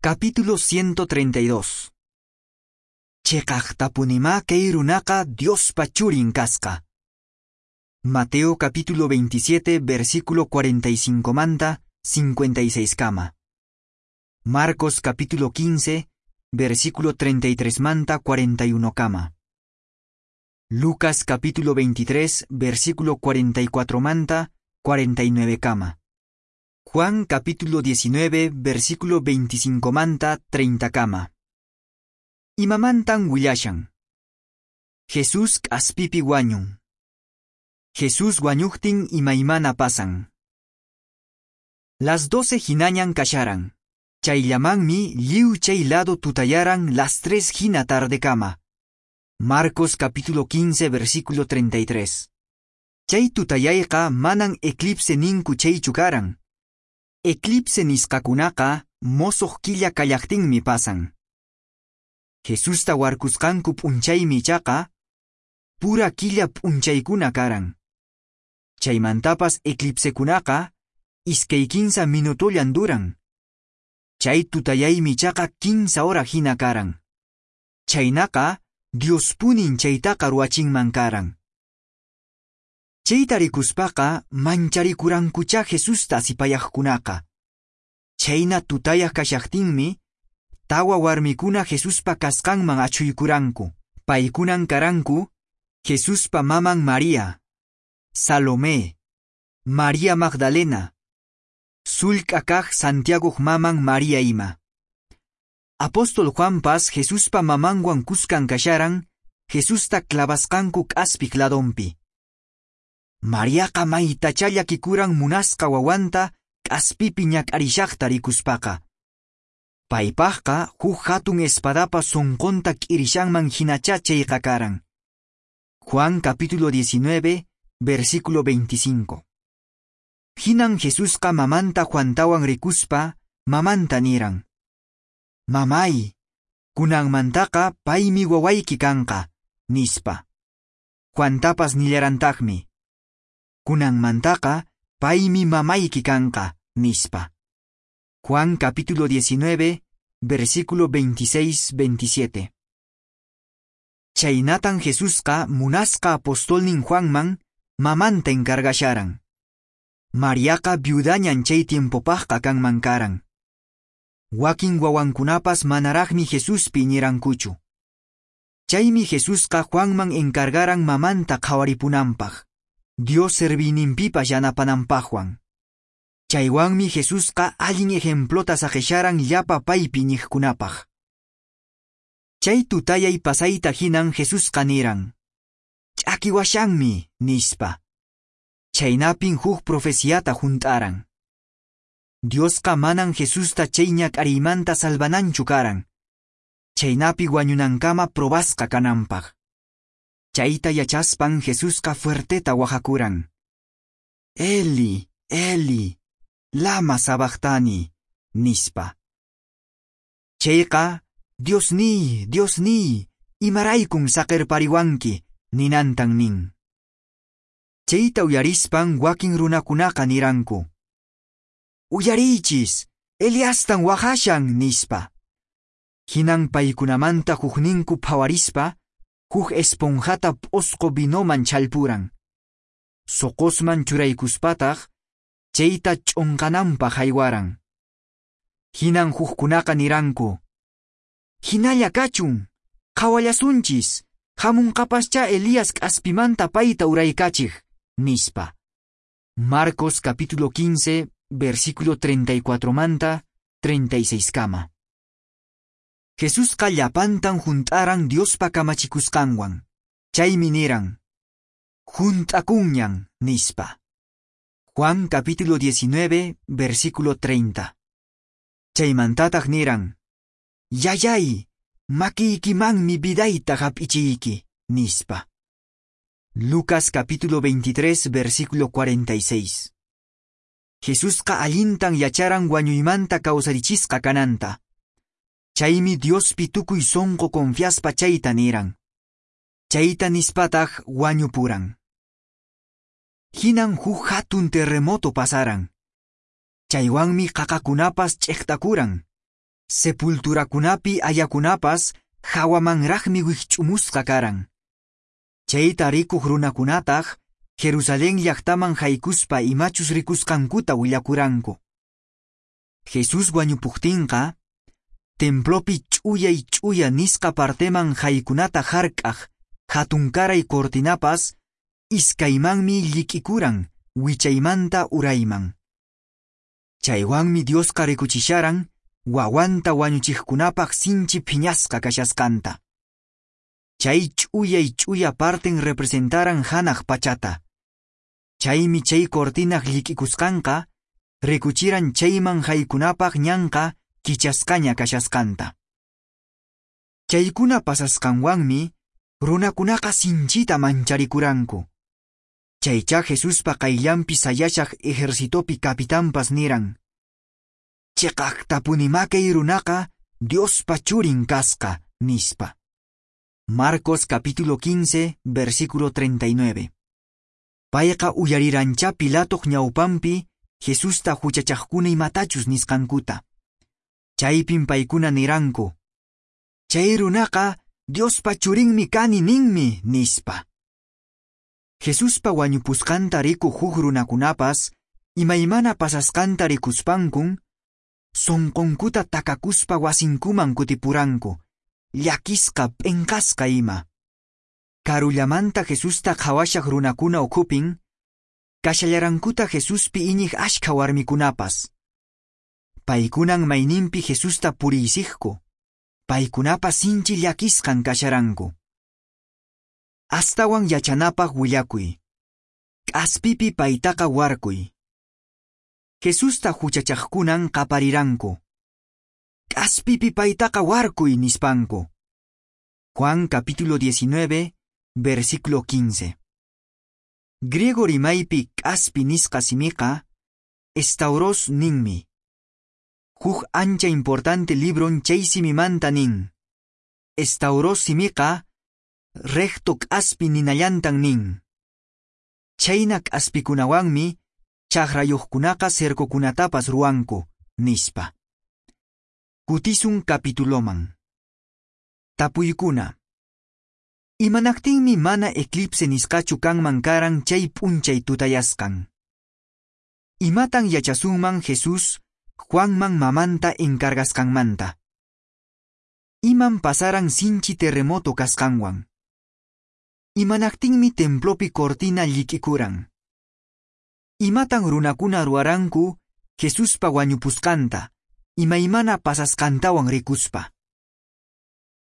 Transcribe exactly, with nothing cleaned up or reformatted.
Capítulo ciento treinta y dos. Cheqaqtapunimá kay runaqa Diospa churin kasqa. Mateo capítulo veintisiete, versículo cuarenta y cinco manta cincuenta y seis kama. Marcos capítulo quince, versículo treinta y tres manta cuarenta y uno kama. Lucas capítulo veintitrés, versículo cuarenta y cuatro manta cuarenta y nueve kama. Juan capítulo diecinueve, versículo veinticinco manta treinta kama. Imamantan willashan? Jesús k'aspipi wañun. Jesús wañuqtin imaymana pasan. Las doce hinañan kasharan. Chayllamanmi lliw chay lado tutayaran las tres hina tardekama. Marcos capítulo quince, versículo treinta y tres. Chay tutayayqa manan eclipse ninku chaychu karan. Eclipse nisqakunaqa mosoq killa kallaqtinmi pasan. Jesusta warkusqanku p'unchaymi ichaqa pura killa p'unchaykuna karan. Chaymantapas eclipsekunaqa iskay kinsa minutollan duran. Chay tutayaymi ichaqa kinsa hora hina karan. Chhaynaqa Diospunin chaytaqa ruwachinman karan. Chayta rikuspaqa mancharikurankuchá Jesusta asipayaqkunaqa. Chhayna tutayaq kashaqtinmi tawa warmikuna Jesuspa kasqanman achhuykuranku. Paykunan karanku Jesuspa maman María, Salomé, María Magdalena, sullk'a kaq Santiagoq maman María ima. Apóstol Juanpas Jesuspa mamanwan kuskan kasharan Jesusta clavasqanku k'aspiq ladonpi. Mariaqa maytachá llakikuran munasqa wawanta k'aspipi ñak'arishaqta rikuspaqa. Paypaqqa huk hatun espadapa sunqunta k'irishanman hinachá chayqa karan. Juan capítulo diecinueve, versículo veinticinco. Hinan Jesusqa mamanta Juantawan rikuspa mamanta niran: "Mamay, kunanmantaqa paymi wawayki kanqa", nispa. Juantapas nillarantaqmi: "Kunanmantaqa paymi mamayki kanqa", nispa. Juan capítulo diecinueve, versículo veintiséis veintisiete. Chhaynatan Jesusqa munasqa apostolnin Juanman mamanta encargasharan. Mariaqa viudañan chay tiempopaqqa kanman karan. Wakin wawankunapas manaraqmi Jesuspi iñirankuchu. Chaymi Jesusqa Juanman encargaran mamanta qhawaripunanpaq, Dios serviyninpipas yanapananpaqwan. Chaywanmi Jesusqa allin ejemplota saqesharan llapa paypi iñiqkunapaq. Chay tutayay pasayta hinan Jesusqa niran: "Ch'akiwashanmi", nispa. Chhaynapin huk profeciata hunt'aran. Diosqa manan Jesusta chay ñak'ariymanta salvananchu karan, chhaynapi wañunankama probasqa kananpaq. Chayta yachaspan Jesusqa fuerteta waqakuran: "Eli, Eli, lama sabactani", nispa. Chayqa "Diosniy, Diosniy, imaraykun saqerpariwanki", ninantan nin. Chayta uyarispan wakin runakunaqa niranku: "Uyariychis, Eliastan waqashan", nispa. Hinan paykunamanta hukninku phawarispa, huk esponjata p'osqo vinoman challpuran. Soqosman churaykuspataq, chayta ch'unqananpaq haywaran. Hinan hukkunaqa niranku: "Hinalla kachun, qhawallasunchis, hamunqapaschá Elías k'aspimanta payta uraykachiq", nispa. Marcos capítulo quince, versículo treinta y cuatro manta treinta y seis kama. Jesusqa llapantan hunt'aran Diospa kamachikusqanwan. Chaymi niran: "Hunt'akunñan", nispa. Juan capítulo diecinueve, versículo treinta. Chaymantataq niran: "Yayay, makiykimanmi vidayta hap'ichiyki", nispa. Lucas capítulo veintitrés, versículo cuarenta y seis. Jesusqa allintan yacharan wañuymanta kawsarichisqa kananta. Chaymi Diospi tukuy sonqo confiaspa chayta niran. Chayta nispataq wañupuran. Hinan huk hatun terremoto pasaran. Chaywanmi qaqakunapas ch'eqtakuran. Sepulturakunapi ayakunapas hawamanraqmi wikch'umusqa karan. Chayta rikuq runakunataq Jerusalén llaqtaman haykuspa imachus rikusqankuta willakuranku. Jesús wañupuqtinqa, templopi ch'uyay ch'uya nisqa parteman haykunata hark'aq hatunkaray cortinapas iskaymanmi llik'ikuran wichaymanta urayman. Chaywanmi Diosqa rikuchisharan wawanta wañuchiqkunapaq sinchi phiñasqa kashasqanta. Chay ch'uyay ch'uya parten representaran hanaq pachata. Chaymi chay cortinaq llik'ikusqanqa rikuchiran chayman haykunapaq ñanqa kichasqaña kashasqanta. Chaykuna pasasqanwanmi runakunaqa sinchita mancharikuranku. Chaycha Jesuspa qayllanpi sayashaq ejercitopi capitanpas niran: Chiqaqtapunimá kay runaqa Diospa churin kasqa, nispa. Marcos capítulo quince, versículo treinta y nueve. Payqa uyarirancha Pilatoq ñawpanpi Jesusta huchachaqkuna imatachus nisqankuta. Chaypin paykuna niranku: Chay runaqa Diospa churinmi kani ninmi, nispa. Jesuspa wañupusqanta rikuq huk runakunapas imaymana pasasqanta rikuspankun sunqunkuta takakuspa wasinkuman kutipuranku, llakisqa p'inqasqa ima. Karullamanta Jesusta qhawashaq runakuna ukhupin, kashallarankuta Jesuspi iñiq ashkha warmikunapas. Paykunan mayninpi Jesusta puriysiqku, paykunapas sinchi llakisqan kasharanku. Astawan yachanapaq willakuy. K'aspipi paytaqa warkuy. Jesusta huchachaqkunan qapariranku. K'aspipi paytaqa warkuy nispanku. Juan capítulo diecinueve, versículo quince. Griego rimaypi k'aspi nisqa simiqa, stauros ninmi. Huk ancha importante libron chay simimanta nin. Stauros simiqa, recto k'aspi ninallantan nin. Chayna k'aspikunawanmi chakrayuqkunaqa cercokunatapas ruwanku, nispa. Kutisun capituloman. Tapuykuna. Imanaqtinmi mana eclipse nisqachu kanman karan chay p'unchay tutayasqan? Imatan yachasunman Jesús Juanman mamanta encargasqanmanta? Iman pasaran sinchi terremoto kasqanwan? Imanaqtinmi templopi cortina llik'ikuran? Imatan runakuna ruwaranku Jesuspa wañupusqanta, imaymana pasasqantawan rikuspa?